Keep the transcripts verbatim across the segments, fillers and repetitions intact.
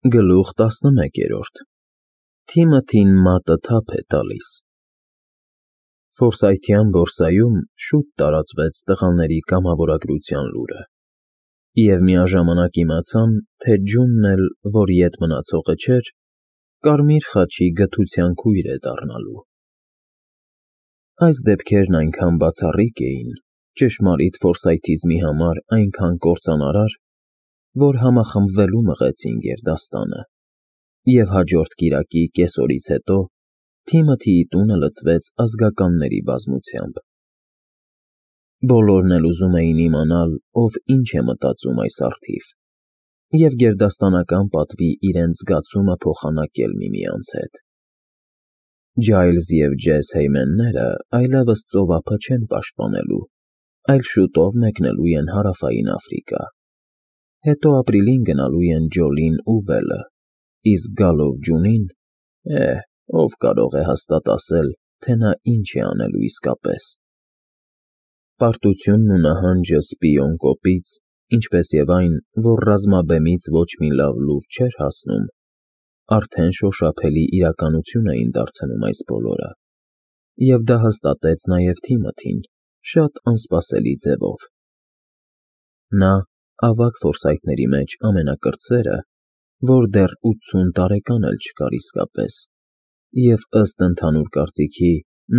Գլուխ տասնմեկերորդ Թիմոթին մատը թափ է տալիս։ Ֆորսայթյան բորսայում շուտ տարածվեց տղաների կամավորագրության լուրը, և միաժամանակ իմացան, թե Ջունն էլ, որ ետ մնացողը չէր, Կարմիր խաչի գթության քույր է դառնալու։ Այս դեպքերն այնքան բացառիկ էին, ճշմարիտ ֆորսայթիզմի համար այնքան կործանարար, որ համախմբվելու մղեցին գերդաստանը, և հաջորդ կիրակի կեսօրից հետո Թիմոթիի տունը լցվեց ազգականների բազմությամբ։ Բոլորն էլ ուզում էին իմանալ, ով ինչ է մտածում այս առթիվ, և գերդաստանական պատվի իրենց զգացումը փոխանակել միմյանց հետ։ Ջայլզ և Ջես Հեյմենները այլևս ծովափը չեն պաշտպանելու, այլ շուտով մեկնելու են Հարավային Աֆրիկա, հետո ապրիլին գնալու են Ջոլին ու Վելը, իսկ գալով ջունին, է՜, ով կարող է հաստատ ասել, թե նա ինչ է անելու իսկապես։ Պարտությունն ու նահանջը սպիոն կոպից, ինչպես և այն, որ ռազմաբեմից ոչ մի լավ լուր չէր հասնում, արդեն շոշափելի իրականություն էին դարձնում այս բոլորը, և դա հաստատեց նաև Թիմոթին շատ անսպասելի ձևով։ Նա, ավագ ֆորսայթների մեջ ամենակրտսերը, որ դեռ ութսուն տարեկան էլ չկար իսկապես, և, ըստ ընդհանուր կարծիքի,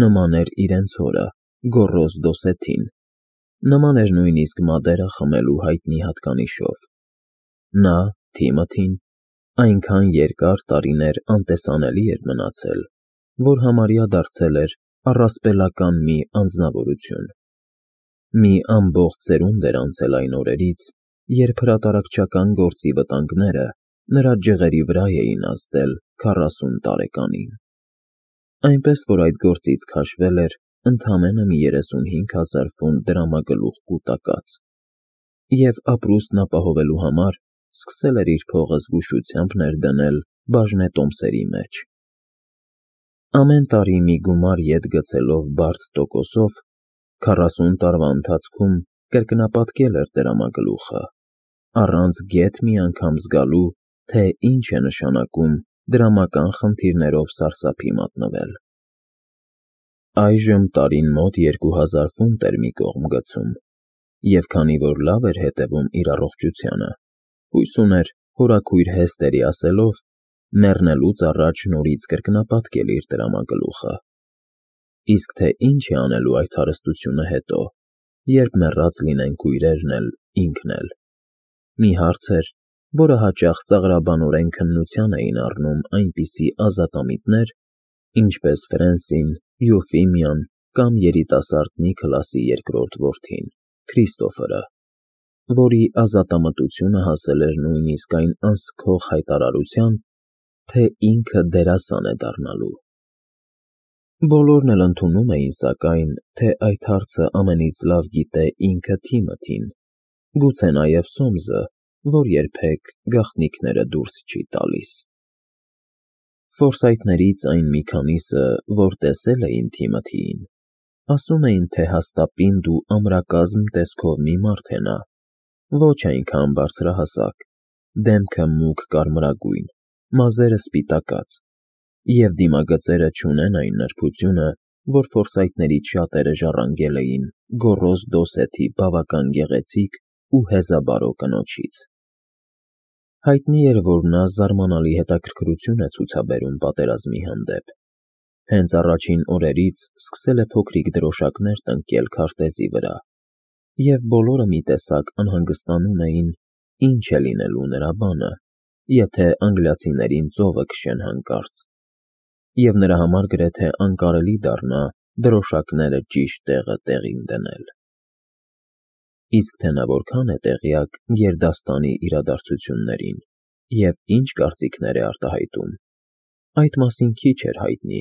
նման էր իրենց հորը՝ Գոռոզ Դոսեթին, նման էր նույնիսկ մադերա խմելու հայտնի հատկանիշով։ Նա՝ Թիմոթին, այնքան երկար տարիներ անտեսանելի էր մնացել, որ համարյա դարձել էր առասպելական մի անձնավորություն։ Մի ամբողջ սերունդ էր անցել այն օրերից, երբ հրատարակչական գործի վտանգները նրա ջղերի վրա էին ազդել քառասուն տարեկանին, այնպես որ այդ գործից քաշվել էր ընդամենը մի երեսունհինգ հազար ֆունտ դրամագլուխ կուտակած, և ապրուստն ապահովելու համար սկսել էր իր փողը զգուշությամբ ներդնել բաժնետոմսերի մեջ։ Ամեն տարի մի գումար ետ գցելով բարդ տոկոսով, քառասուն տարվա ընթացքում կրկնապատկել էր դրամագլուխը, առանց գեթ մի անգամ զգալու, թե ինչ է նշանակում դրամական խնդիրներով սարսափի մատնվել։ Այժմ տարին մոտ երկու հազար ֆունտ էր մի կողմ գցում, և քանի որ լավ էր հետևում իր առողջությանը, հույս ուներ հորաքույր Հեստերի ասելով մեռնելուց առաջ նորից կրկնապատկել իր դրամագլուխը։ Իսկ թե ինչ է անելու այդ հարստությունը հետո, երբ մեռած լինեն քույրերն էլ, ինքն էլ, մի հարց էր, որը հաճախ ծաղրաբանորեն քննության էին առնում այնպիսի ազատամիտներ, ինչպես Ֆրենսին, Յուֆիմիան կամ երիտասարդ Նիքլասի երկրորդ որդին՝ Քրիստոֆերը, որի ազատամտությունը հասել էր նույնիսկ այն անսքող հայտարարության, թե ինքը դերասան է դառնալու։ Բոլորն էլ ընդունում էին, սակայն, թե այդ հարցը ամենից լավ գիտե ինքը Թիմոթին, գուցե նաև Սոմսը, որ երբեք գաղտնիքները դուրս չի տալիս։ Ֆորսայթներից այն մի քանիսը, որ տեսել էին Թիմոթիին, ասում էին, թե հաստապինդ ու ամրակազմ տեսքով մի մարդ է նա, ոչ այնքան բարձրահասակ, դեմքը մուգ կարմրագույն, մազերը սպիտակած, և դիմագծերը չունեն այն նրբությունը, որ ֆորսայթներից շատերը ժառանգել էին Գոռոզ Դոսեթի բավական գեղեցիկ ու հեզաբարո կնոջից։ Հայտնի էր, որ նա զարմանալի հետաքրքրություն է ցուցաբերում պատերազմի հանդեպ, հենց առաջին օրերից սկսել է փոքրիկ դրոշակներ տնկել քարտեզի վրա, և բոլորը մի տեսակ անհանգստանում էին, ինչ է լինելու նրա բանը, եթե անգլիացիներին ծովը քշեն հանկարծ, և նրա համար գրեթե անկարելի դառնա դրոշակները ճիշտ տեղը տեղին դնել։ Իսկ թե նա որքան է տեղյակ գերդաստանի իրադարձություններին և ինչ կարծիքներ է արտահայտում, այդ մասին քիչ էր հայտնի։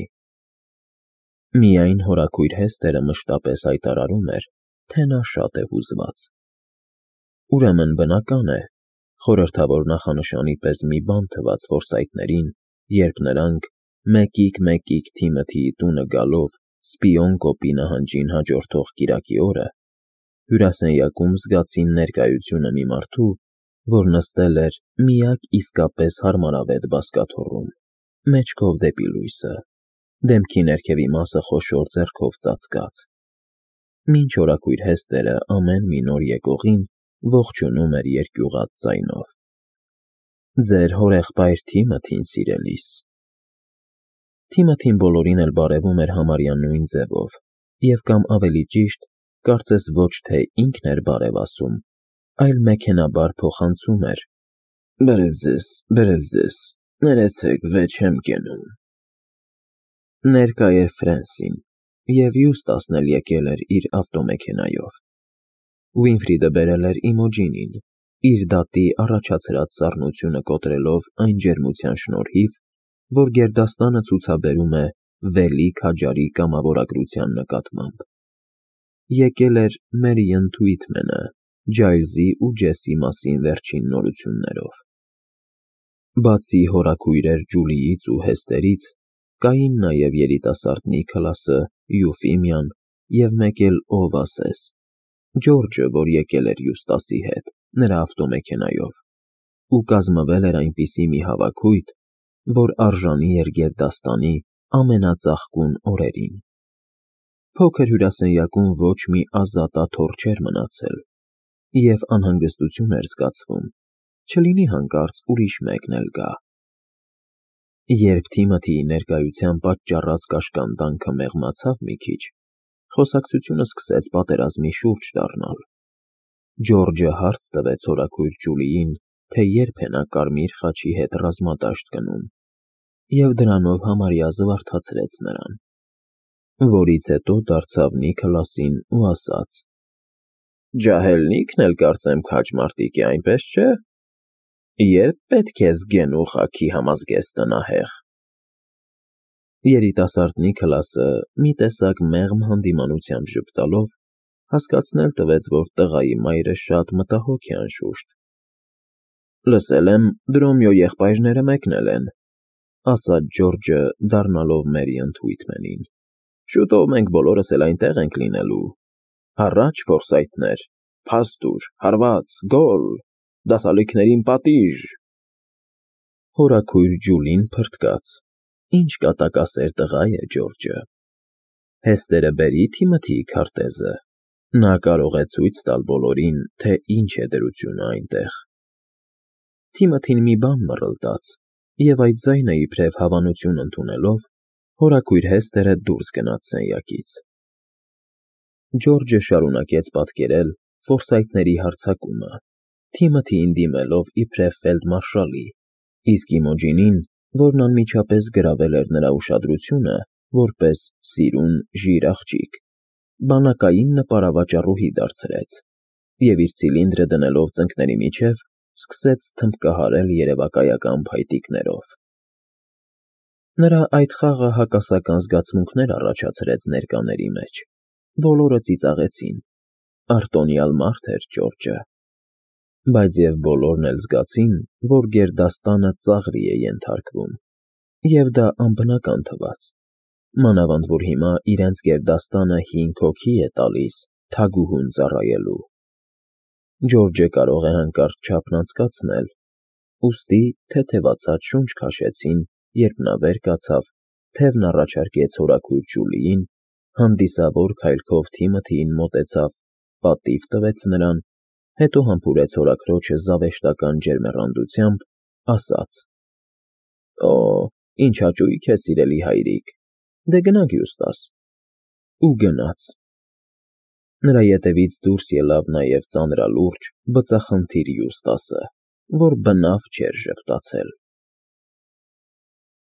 Միայն հորաքույր Հեստերը մշտապես հայտարարում էր, թե նա շատ է հուզված։ Ուրեմն բնական է, խորհրդավոր նախանշանի պես մի բան թվաց ֆորսայթներին, երբ նրանք, մեկիկ֊մեկիկ Թիմոթիի տունը գալով սպիոն կոպի նահանջին հաջորդող կիրակի օրը, հյուրասենյակում զգացին ներկայությունը մի մարդու, որ նստել էր միակ իսկապես հարմարավետ բազկաթոռում, մեջքով դեպի լույսը, դեմքի ներքևի մասը խոշոր ձեռքով ծածկած։ Մինչ օրակույր հեստերը ամեն մի նոր եկողին ողջունում էր երկյուղած ձայնով. «Ձեր հորեղբայր Թիմոթին, սիրելիս»։ Թիմոթին բոլորին էլ բարևում էր համարյա նույն ձևով, և կամ ավելի ճիշտ, կարծես ոչ թե ինքն էր բարև ասում, այլ մեքենաբար փոխանցում էր. «Բերև ձեզ, բերև ձեզ, ներեցեք, վեճ չեմ կենում»։ Ներկա էր Ֆրենսին, և Յուստասն էլ եկել էր իր ավտոմեքենայով։ Ուինֆրիդը բերել էր Իմոջինին, իր դատի առաջացրած սառնությունը կոտրելով այն ջերմության շնորհիվ, որ գերդաստանը ցուցաբերում է վելի քաջարի կամավորագրության նկատմամբ։ Եկել էր Մերիըն Թուիթմենը Ջայլզի ու Ջեսի մասին վերջին նորություններով։ Բացի հորաքույրեր Ջուլիից ու Հեստերից, կային նաև երիտասարդ Նիքոլասը, Յուֆիմիան և մեկ էլ ով ասես, Ջորջը, որ եկել էր Յուստասի հետ, նրա ավտոմեքենայով, ու կազմվել էր այնպիսի մի հավաքույթ, որ արժանի էր գերդաստանի ամենածաղկուն օրերին։ Փոքր հյուրասենյակում ոչ մի ազատ աթոռ չէր մնացել, և անհանգստություն էր զգացվում, չլինի հանկարծ ուրիշ մեկն էլ գա։ Երբ Թիմոթիի ներկայության պատճառած կաշկանդանքը մեղմացավ մի քիչ, խոսակցությունը սկսեց պատերազմի շուրջ դառնալ։ Ջորջը հարց տվեց հորաքույր Ջուլիին, թե երբ է նա կարմիր խաչի հետ ռազմադաշտ գնում, և դրանով համարյա զվարթացրեց նրան, որից հետո դարձավ Նիքոլասին ու ասաց. «Ջահելնիքն էլ կարծեմ քաջ մարտիկ է, այնպես չէ՞։ Ե՞րբ պետք է զգեն ու խաքի համազգեստ տնահեղ»։ Երիտասարդ Նիքոլասը մի տեսակ մեղմ հանդիմանությամբ ժպտալով հասկացնել տվեց, որ տղայի մայրը շատ մտահոգ է անշուշտ։ «Լսել եմ, Դրոմյո եղբայրները մեկնել են», ասաց Ջորջը, դառնալով Մերիըն Թուիթմենին։ «Շուտով մենք բոլորս էլ այնտեղ ենք լինելու։ Հառա՜ջ, Ֆորսայթներ, փաստուր, հարված, գոլ, դասալիքներին պատիժ»։ Հորաքույր Ջուլին փրկաց. ինչ կատակասեր տղա է Ջորջը։ Հեստերը բերի Թիմոթիի քարտեզը, նա կարող է ցույց տալ բոլորին, թե ինչ է դրությունը այնտեղ։ Թիմոթին մի բան մռլտաց, և այդ ձայնը իբրև հավանություն ընդունելով, հորաքույր Հեստերը դուրս գնաց սենյակից։ Ջորջը շարունակեց պատկերել Ֆորսայթների հարձակումը, Թիմոթիին դիմելով իբրև ֆելդմարշալի, իսկ Իմոջինին, որն անմիջապես գրավել էր նրա ուշադրությունը, որպես սիրուն, ժիր աղջիկ, բանակային նպարավաճառուհի դարձրեց, և իր ցիլինդրը դնելով ծնկների միջև, սկսեց թմբկահարել երևակայական փայտիկներով։ Նրա այդ խաղը հակասական զգացմունքներ առաջացրեց ներկաների մեջ, բոլորը ծիծաղեցին, արտոնյալ մարդ էր Ջորջը։ Բայց և բոլորն էլ զգացին, որ գերդաստանը ծաղրի է ենթարկվում, և դա անբնական թվաց, մանավանդ որ հիմա իրենց գերդաստանը հինգ հոգի է տալիս թագուհուն ծառայելու։ Ջորջը կարող է հանկարծ չափն անցկացնել, ուստի թեթևացած շունչ քաշեցին, երբ նա վեր կացավ, թևն առաջարկեց հորաքույր Ջուլիին, հանդիսավոր քայլքով Թիմոթիին մոտեցավ, պատիվ տվեց նրան, հետո համբուրեց հորաքրոջը զավեշտական ջերմեռանդությամբ, ասաց. «Օ, ինչ հաճույք է, սիրելի հայրիկ, դե գնանք Յուստաս»։ Ու գնաց։ Նրա ետևից դուրս ելավ նաև ծանրալուրջ, բծախնդիր Յուստասը, որ բնավ չէր ժպտացել։